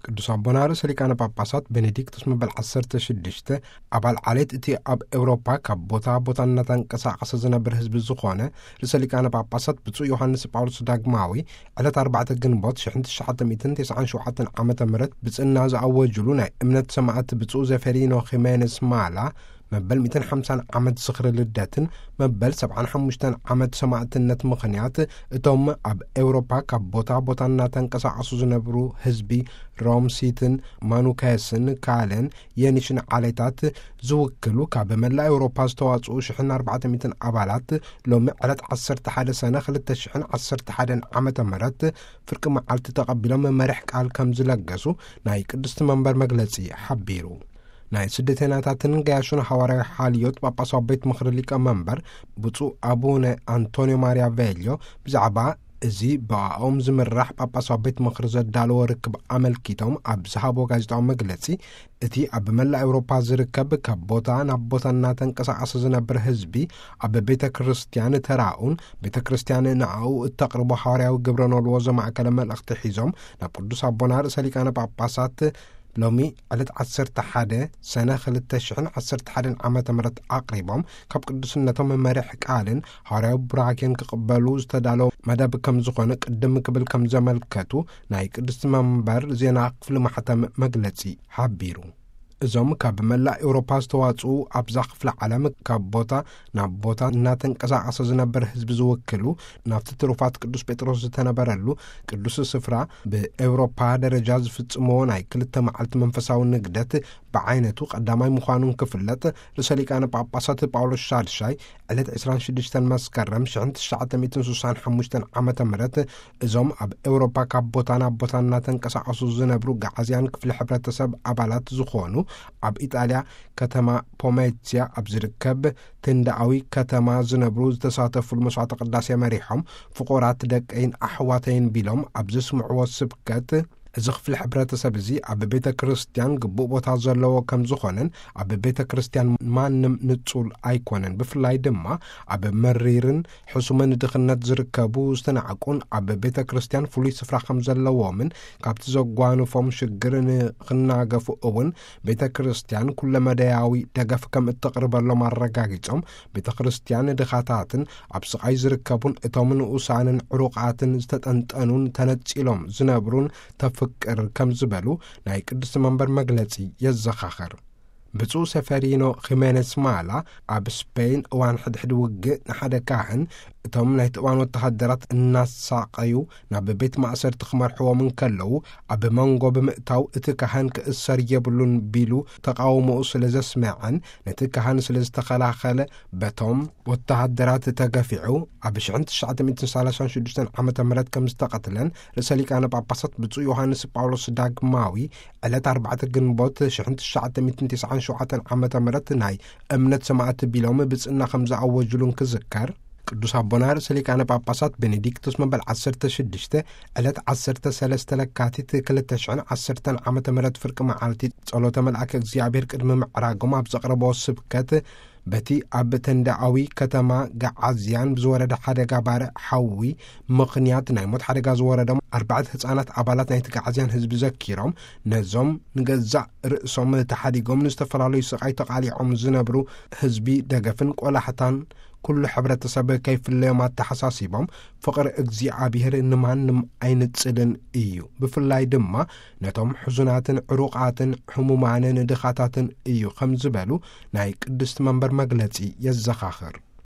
ቅዱስ ኣቦና ርእሰ ሊቃነ ጳጳሳት ቤኔዲክቶስ መበል ዓሰርተ ሽዱሽተ፣ ኣባል ዓሌት እቲ ኣብ ኤውሮፓ ካብ ቦታ ቦታ እናተንቀሳቐሰ ዝነብር ህዝቢ ዝኾነ ርእሰ ሊቃነ ጳጳሳት ብፁዕ ዮሃንስ ጳውሎስ ዳግማዊ ዕለት ኣርባዕተ ግንቦት ሽሕን ትሽዓተ ሚእትን ተስዓን ሸውዓተን ዓመተ ምህረት ብጽና ዝኣወጅሉ ናይ እምነት ሰማዕት ብፁዕ ዘፌሪኖ ኺሜኔስ ማላ መበል ሚእትን ሓምሳን ዓመት ዝኽሪ ልደትን መበል ሰብዓን ሓሙሽተን ዓመት ሰማዕትነት ምኽንያት፣ እቶም ኣብ ኤውሮፓ ካብ ቦታ ቦታ እናተንቀሳቐሱ ዝነብሩ ህዝቢ ሮም ሲትን ማኑካስን ካለን የኒሽን ዓሌታት ዝውክሉ ካብ መላእ ኤውሮፓ ዝተዋጽኡ ሽሕን ኣርባዕተ ሚእትን ኣባላት ሎሚ ዕለት ዓሰርተ ሓደ ሰነ ክልተ ሽሕን ዓሰርተ ሓደን ዓመተ ምህረት ፍርቂ መዓልቲ ተቐቢሎም መሪሕ ቃል ከም ዝለገሱ ናይ ቅድስቲ መንበር መግለጺ ሓቢሩ። ናይ ስደተኛታትን ገያሹን ሃዋርያዊ ሓልዮት ጳጳሳዊ ቤት ምኽሪ ሊቀ መንበር ብፁዕ ኣቡነ ኣንቶንዮ ማርያ ቬልዮ ብዛዕባ እዚ ብኣኦም ዝምራሕ ጳጳሳዊ ቤት ምኽሪ ዘዳለዎ ርክብ ኣመልኪቶም ኣብ ዝሃቦ ጋዜጣዊ መግለጺ፣ እቲ ኣብ መላእ ኤውሮፓ ዝርከብ ካብ ቦታ ናብ ቦታ እናተንቀሳቐሰ ዝነብር ህዝቢ ኣብ ቤተ ክርስቲያን ተራኡን ቤተ ክርስቲያን ንኣኡ እተቕርቦ ሃዋርያዊ ግብረ ኖልዎ ዘማእከለ መልእኽቲ ሒዞም ናብ ቅዱስ ኣቦና ርእሰ ሊቃነ ጳጳሳት ሎሚ ዕለት ዓሰርተ ሓደ ሰነ ክልተ ሽሕን ዓሰርተ ሓደን ዓመተ ምህረት ኣቕሪቦም፣ ካብ ቅዱስነቶም መሪሕ ቃልን ሃዋርያዊ ቡራኬን ክቕበሉ ዝተዳለወ መደብ ከም ዝኾነ ቅድም ክብል ከም ዘመልከቱ ናይ ቅድስቲ መንበር ዜና ክፍሊ ማሕተም መግለጺ ሓቢሩ። እዞም ካብ መላእ ኤውሮፓ ዝተዋጽኡ ኣብዛ ክፍለ ዓለም ካብ ቦታ ናብ ቦታ እናተንቀሳቐሰ ዝነብር ህዝቢ ዝውክሉ ናብቲ ትሩፋት ቅዱስ ጴጥሮስ ዝተነበረሉ ቅዱስ ስፍራ ብኤውሮፓ ደረጃ ዝፍጽምዎ ናይ ክልተ መዓልቲ መንፈሳዊ ንግደት ብዓይነቱ ቀዳማይ ምዃኑን ክፍለጥ ርእሰ ሊቃነ ጳጳሳት ጳውሎስ ሻድሻይ ዕለት ዕስራን ሽዱሽተን መስከረም ሽሕን ትሽዓተ ሚእትን ስሳን ሓሙሽተን ዓመተ ምህረት እዞም ኣብ ኤውሮፓ ካብ ቦታ ናብ ቦታ እናተንቀሳቐሱ ዝነብሩ ገዓዝያን ክፍሊ ሕብረተሰብ ኣባላት ዝኾኑ ኣብ ኢጣልያ ከተማ ፖሜትያ ኣብ ዝርከብ ትንዳኣዊ ከተማ ዝነብሩ ዝተሳተፉሉ መስዋዕተ ቅዳሴ መሪሖም ፍቑራት ደቀይን ኣሕዋተይን ቢሎም ኣብ ዘስምዕዎ ስብከት እዚ ክፍሊ ሕብረተሰብ እዚ ኣብ ቤተ ክርስቲያን ግቡእ ቦታ ዘለዎ ከም ዝኾነን ኣብ ቤተ ክርስቲያን ማንም ንጹል ኣይኮነን፣ ብፍላይ ድማ ኣብ መሪርን ሕሱምን ድኽነት ዝርከቡ ዝተናዕቁን ኣብ ቤተ ክርስቲያን ፍሉይ ስፍራ ከም ዘለዎምን ካብቲ ዘጓንፎም ሽግር ንኽናገፉ እውን ቤተ ክርስቲያን ኩለመዳያዊ ደገፍ ከም እተቕርበሎም ኣረጋጊጾም፣ ቤተ ክርስቲያን ድኻታትን ኣብ ስቓይ ዝርከቡን እቶም ንኡሳንን ዕሩቓትን ዝተጠንጠኑን ተነጺሎም ዝነብሩን ተፍቅር ከም ዝበሉ ናይ ቅድስቲ መንበር መግለጺ የዘኻኸር። ብፁዕ ሰፈሪኖ ኺሜኔስ ማላ ኣብ ስፔን እዋን ሕድሕድ ውግእ ንሓደ ካህን እቶም ናይቲ እዋን ወተሃደራት እናሳቐዩ ናብ ቤት ማእሰርቲ ክመርሕዎም እንከለዉ ኣብ መንጎ ብምእታው እቲ ካህን ክእሰር የብሉን ቢሉ ተቓውሞኡ ስለ ዘስመዐን ነቲ ካህን ስለ ዝተኸላኸለ በቶም ወተሃደራት ተገፊዑ ኣብ ሽሕን ትሽዓተ ሚእትን ሰላሳን ሽዱሽተን ዓመተ ምህረት ከም ዝተቐትለን ርእሰ ሊቃነ ጳጳሳት ብፁዕ ዮሃንስ ጳውሎስ ዳግማዊ ዕለት ኣርባዕተ ግንቦት ሽሕን ትሽዓተ ሚእትን ተስዓን ሸውዓተን ዓመተ ምህረት ናይ እምነት ሰማዕቲ ቢሎም ብጽና ከም ዝኣወጅሉን ክዝከር፣ ቅዱስ ኣቦና ርእሰ ሊቃነ ጳጳሳት ቤኔዲክቶስ መበል ዓሰርተ ሽዱሽተ ዕለት ዓሰርተ ሰለስተ ለካቲት ክልተ ሽሕን ዓሰርተን ዓመተ ምህረት ፍርቂ መዓልቲ ጸሎተ መልኣከ እግዚኣብሔር ቅድሚ ምዕራጎም ኣብ ዘቕረቦ ስብከት፣ በቲ ኣብ ተንዳኣዊ ከተማ ገዓዝያን ብዝወረደ ሓደጋ ባርዕ ሓዊ ምኽንያት ናይ ሞት ሓደጋ ዝወረዶም ኣርባዕተ ህጻናት ኣባላት ናይቲ ገዓዝያን ህዝቢ ዘኪሮም፣ ነዞም ንገዛእ ርእሶም ተሓዲጎም ንዝተፈላለዩ ስቓይ ተቓሊዖም ዝነብሩ ህዝቢ ደገፍን ቆላሕታን ኩሉ ሕብረተሰብ ከይፍለዮም ኣተሓሳሲቦም፣ ፍቕሪ እግዚኣብሔር ንማንም ኣይንጽልን እዩ፣ ብፍላይ ድማ ነቶም ሕዙናትን ዕሩቓትን ሕሙማንን ድኻታትን እዩ ከም ዝበሉ ናይ ቅድስቲ መንበር መግለጺ የዘኻኽር።